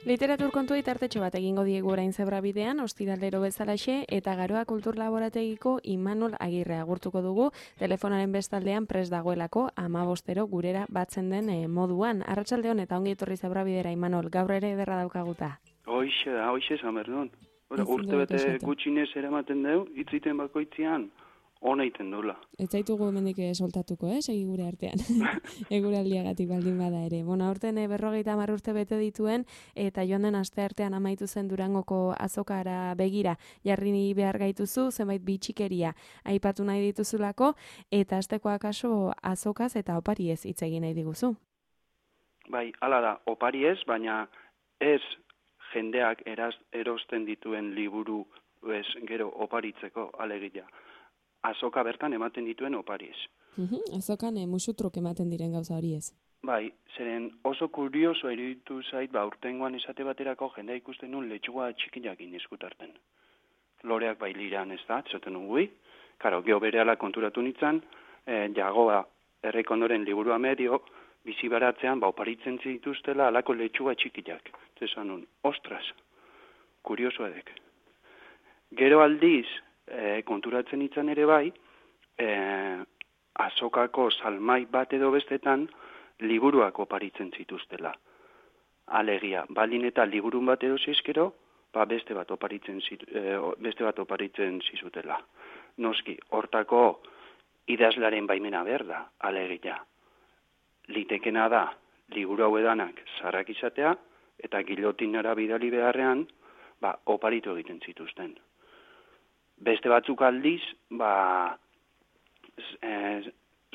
Literatur kontuei tartetxo bat egingo diegu orain Zebrabidean, ostiralero bezalaxe, eta Garoa Kultur Laborategiko Imanol Agirre agurtuko dugu, telefonaren bestaldean prest dagoelako 15 gurera batzen den moduan. Arratsaldeon eta ongi etorri Zebrabidera, Imanol, gaur ere ederra daukaguta. Hoixe, Samerdon. Urte bete gutxinez eramaten deu, itziten bakoitzean, ona iten dula. Ez zaitugu hemendik soltatuko, segi gure artean. Eguraldiagatik baldin bada ere. Aurten 50 urte bete dituen, eta joan den asteartean amaitu zen Durangoko azokara begira. Jarri behar gaituzu, zenbait bitxikeria aipatu nahi dituzulako, eta asteko akaso azokaz eta opariez hitz egin nahi diguzu. Bai, hala da, opariez, baina ez jendeak erosten dituen liburu gero oparitzeko alegia. Azoka bertan ematen dituen opariez. Azokan musutruk ematen diren gauza horiez. Bai, zeren oso kurioso iruditu zait, urtengoan esate baterako jendea ikusten nun letxuga txikiakin eskutarten. Loreak bai liran ez da, esaten nugui. Karo, geho berehala konturatu nintzen, jagoa errekondoren liburua medio, bizi baratzean, oparitzen zituztela alako letxuga txikiak. Zesan nun, ostras, kurioso edek. Gero aldiz, konturatzen nintzen ere bai, azokako salmai bat edo bestetan liburuak oparitzen zituztela. Alegia, baldin eta liburun bat edo zizkero, beste bat oparitzen zizutela. Noski, hortako idazlaren baimena behar da, alegia. Litekena da, liburu hau edanak zarrak izatea, eta gilotinara bidali beharrean, oparitu egiten zituzten. Beste batzuk aldiz,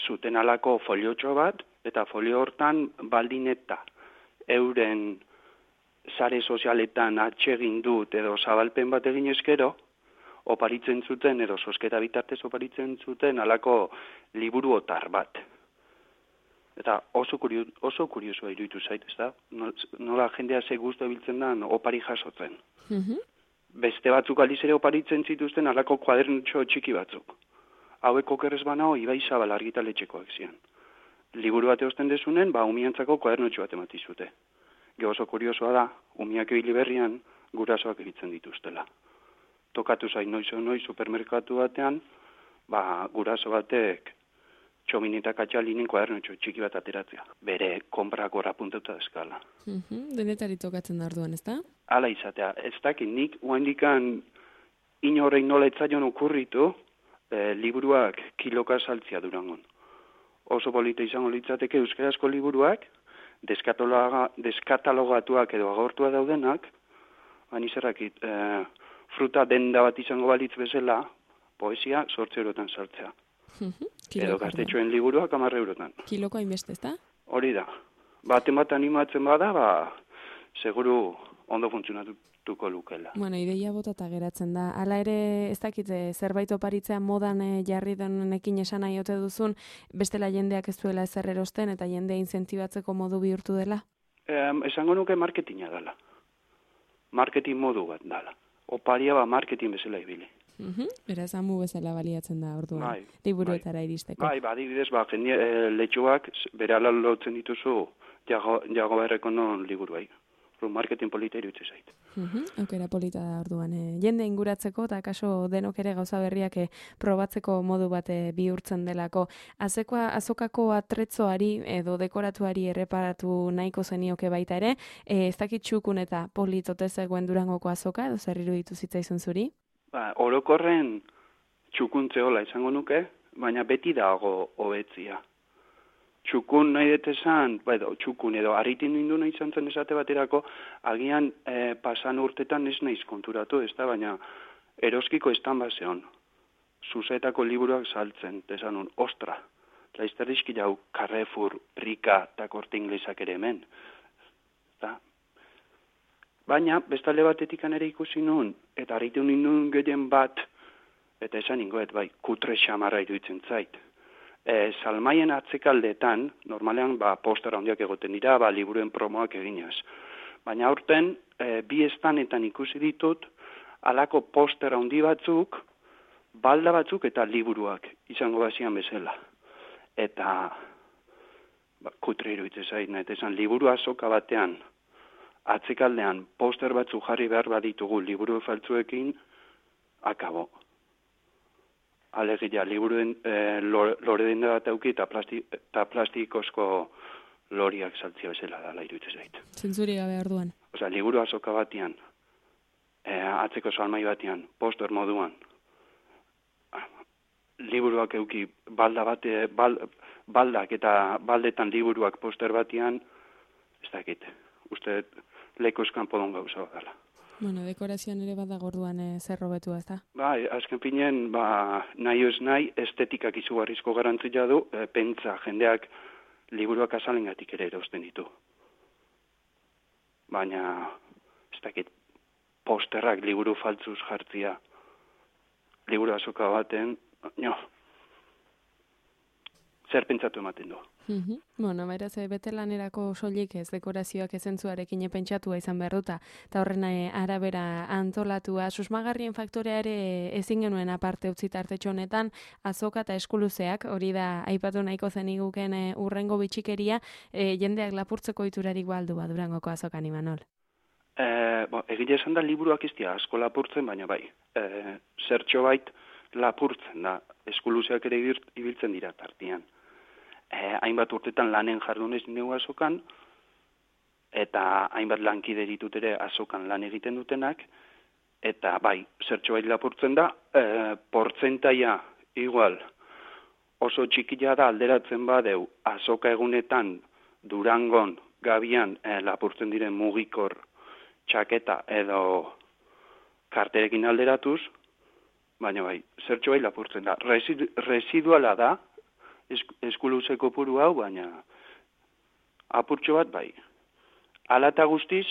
zuten alako foliotxo bat, eta folio hortan baldin eta euren sare sozialetan atsegin dut edo zabalpen bat egin eskero, oparitzen zuten edo sosketa bitartez oparitzen zuten alako liburu otar bat. Eta oso kuriosoa iruditu zait, ez da? Nola jendea ze guztu biltzen da opari jasotzen. Beste batzuk aldiz ere oparitzen zituzten alako kuadernutxo txiki batzuk. Hauek okerrez banao Ibai Zabal argitaletxekoak zian. Liburu bat eosten dezunen, umiantzako kuadernutxo bat ematizute. Ge oso kuriosoa da, umiak ebili berrian gurasoak egitzen dituztela. Tokatu zain noiz supermerkatu batean, guraso batek txomin eta katxalinen kuadernutxo txiki bat ateratzea. Bere konprako rapunteuta eskala. Denetari tokatzen da orduan, ez da? Hala izatea, ez dakit nik oaindikan inorrein nola etzaion okurritu liburuak kiloka saltzia Durangon. Oso polita izango litzateke euskarazko liburuak, deskatalogatuak edo agortua daudenak, izerrakit, fruta denda bat izango balitz bezala, poesia 8 eurotan saltzea. Edo gaztetxoen liburuak 10 eurotan. Kiloko hainbeste, ez da? Hori da. Baten bat animatzen bada, seguru ondo funtzionatuko lukela. Ideia botata geratzen da. Hala ere, ez dakit, zerbait oparitzea modan jarri denekin esan nahi ote duzun, bestela jendeak ez duela ezer erosten eta jendea inzentibatzeko modu bihurtu dela? Esango nuke marketinga dela. Marketing modu bat dela. Oparia marketing bezala ibili. Beraz, amu bezala baliatzen da orduan, liburuetara iristeko. Adibidez, letxuak bere ala lotzen dituzu jago errekondon liburuai. Marketing polita iruditzen zait. Aukera polita da orduan. Jende inguratzeko eta kaso denok ere gauza berriak probatzeko modu bat bihurtzen delako. Azokako atretzoari edo dekoratuari erreparatu nahiko zenioke baita ere, ez dakit txukun eta politote zegoen Durangoko azoka edo zer iruditu zitzaizun zuri? Orokorren txukuntzeola izango nuke, baina beti dago hobetzia. Txukun nahi detezan, txukun edo harritin nindu nahi izan zen esate baterako, agian pasan urtetan ez naiz konturatu, ez da, baina eroskiko estan bazeon. Zuzetako liburuak saltzen, desanun, ostra, laizterrizki jau Carrefour, Rika eta Korte Inglesak ere hemen. Baina, bestalde batetik ere ikusi nun, eta harritu nindun gehien bat, eta esan ingoet, kutre xamarra iruditzen zait. Salmaien atzekaldetan, normalean postera handiak egoten dira, liburuen promoak eginaz. Baina aurten, bi estanetan ikusi ditut, alako postera handi batzuk, balda batzuk eta liburuak izango bazian bezala. Eta kutre iruditzen zait, eta esan liburu azoka batean, atzekaldean poster batzu jarri behar baditugu liburu faltzuekin, akabo. Alegia, liburuen lore denda bat auki eta plastikozko loriak saltzia bezala dala iruditzen zait. Zentzuri gabe orduan. Osea, liburu azoka batean, atzeko salmai batean, poster moduan, liburuak euki baldak eta baldetan liburuak poster batean, ez dakit, uste lekoz kanpodon gauza bat dela. Bueno, dekorazioan ere badago orduan zer hobetu, ezta? Bai, azken finean, nahi ez nahi, estetikak izugarrizko garantzia du, pentsa, jendeak liburuak azalengatik ere erosten ditu. Baina, ez dakit, posterrak liburu faltzuz jartzia, liburu azoka baten, zer pentsatu ematen du. Bueno, beraz, bete lanerako soilik ez dekorazioak ezentzuarekin pentsatua izan behar duta, eta horren arabera antolatua, susmagarrien faktorea ere ezin genuen aparte utzi tartetxo honetan, azoka eta eskuluzeak, hori da aipatu nahiko zeniguken urrengo bitxikeria, jendeak lapurtzeko iturarik baldu Durangoko azokan, Imanol. Egia esan da liburuak iztia asko lapurtzen, baina bai, zertxo bait lapurtzen da, eskuluzeak ere ibiltzen dira tartian. Hainbat urtetan lanen jardunez neu azokan, eta hainbat lankide ditut ere azokan lan egiten dutenak, eta bai, zertxo bait lapurtzen da, portzentaia igual oso txikia da alderatzen badeu azoka egunetan Durangon, Gabian lapurtzen diren mugikor txaketa edo karterekin alderatuz, baina bai, zertxo bai lapurtzen da. Residuala da, eskuluze kopuru hau, baina apurtxo bat bai. Ala eta guztiz,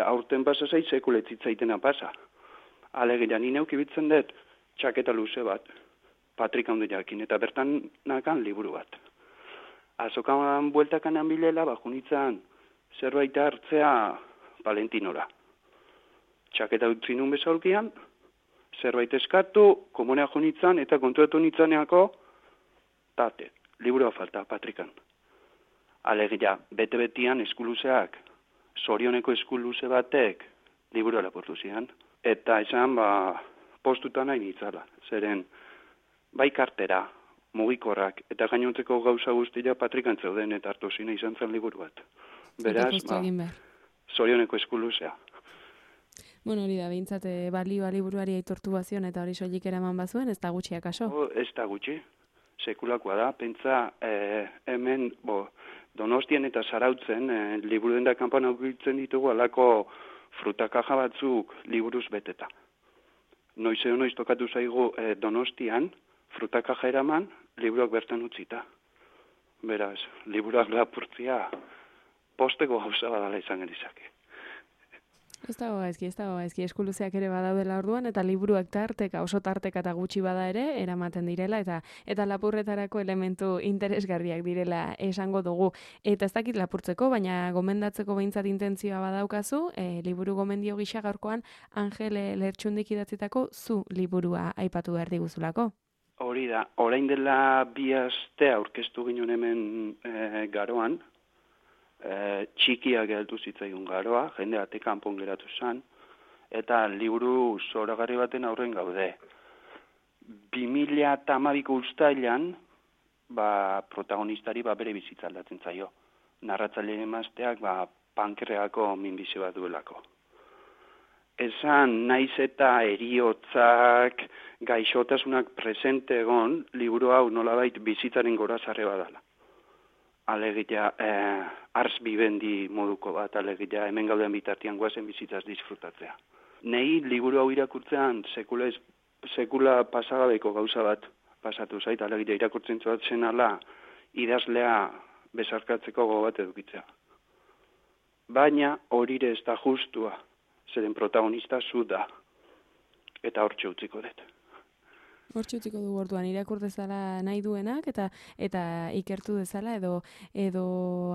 aurten pasa zait, sekuletzitzaitena pasa. Alegia, ni neuk ibiltzen dut txaketa luze bat, Patrik handi jakin, eta bertan nakan liburu bat. Azokan bueltakan bilela, junitzan zerbait hartzea Valentinora. Txaketa utzi nun bezalkian, zerbait eskatu, komunea junitzan, eta kontuetu nitzaneako, tate, liburua falta, Patrikan. Alegia, bete-betian eskuluzeak, zorioneko eskuluze batek, liburua lapurtu zian. Eta esan, postuta nahi nitzala. Zeren, bai kartera, mugikorrak, eta gainontzeko gauza guztia Patrikan zeuden, eta hartu zina izan zen liburu bat. Beraz, zorioneko eskuluzea. Bueno, hori da, behintzat balioa liburuari aitortu bazion, eta hori soilik eraman bazuen, ez da gutxi akaso? Ez da gutxi. Sekulakoa da, pentsa hemen Donostien eta Zarautzen liburu denda kanpan aukitzen ditugu alako frutakaja batzuk liburuz beteta. Noiz tokatu zaigu Donostian frutakaja eraman liburuak bertan utzita. Beraz, liburuak lapurtzia posteko gauza badala izan genizake. Ez dago gaizki, eskuluzeak ere badaudela orduan, eta liburuak tarteka, oso tarteka eta gutxi bada ere, eramaten direla, eta lapurretarako elementu interesgarriak direla esango dugu. Eta ez dakit lapurtzeko, baina gomendatzeko behintzat intentzioa badaukazu, liburu gomendio gisa gaurkoan Angel Lertxundik idatzitako zu liburua aipatu behar diguzulako. Hori da, orain dela 2 aste aurkeztu ginen hemen Garoan, txikia geratu zitzaigun Garoa, jende ate kanpon geratu zen, eta liburu zoragarri baten aurren gaude. 2012ko uztailan, protagonistari bere bizitza aldatzen zaio. Narratzaileen emazteak pankreako minbizi bat duelako. Esan, naiz eta eriotzak, gaixotasunak presente egon, liburu hau nolabait bizitzaren gorazarre badala. Alegia, ars bibendi moduko bat, alegia, hemen gauden bitartian guazen bizitzaz disfrutatzea. Nei, liburu hau irakurtzean, sekula pasagabeko gauza bat pasatu zait, alegia, irakurtzen zuatzen ala, idazlea besarkatzeko gogo bat edukitzea. Baina, horire ez da justua, zeren protagonista zu da, eta hortxe utziko dut. Hortxe utziko du orduan, irakur dezala nahi duenak, eta ikertu dezala, edo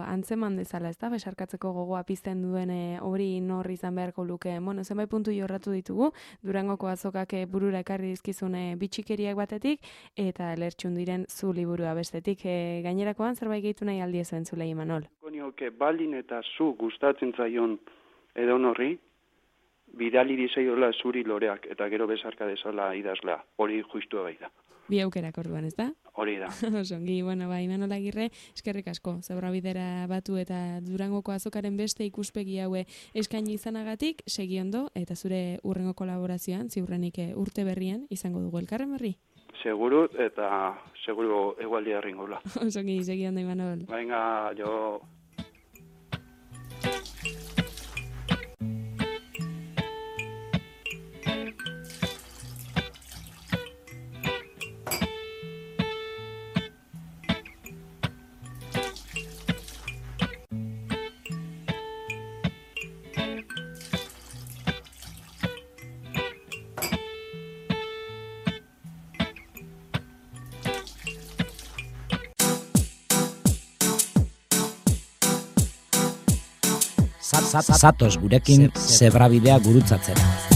antzeman dezala, ez da, besarkatzeko gogoa pizten duen hori nor izan beharko luke. Bueno, zenbait puntu jorratu ditugu, Durangoko azokak burura ekarri dizkizune bitxikeriak batetik, eta Lertxundiren zu liburua bestetik. Gainerakoan zerbait gehitu nahi aldi ezuen zule, Imanol. Gonioke, baldin eta zu gustatzen zaion edo horri, bidali dizaiola zuri loreak, eta gero bezarka dezala idazlea. Hori justu bai da. Bi aukerak orduan, ez da? Hori da. Osongi, bueno, Imanol Agirre, eskerrik asko, Zebrabidera batu eta Durangoko azokaren beste ikuspegi haue eskaini izanagatik, segi ondo, eta zure urrengo kolaborazioan, ziurrenik urte berrian, izango dugu elkarren berri? Seguru, eta seguru egualdia erringula. Osongi, segi ondo, Imanol. Venga, jo... Zatoz gurekin Zebrabidea gurutzatzera.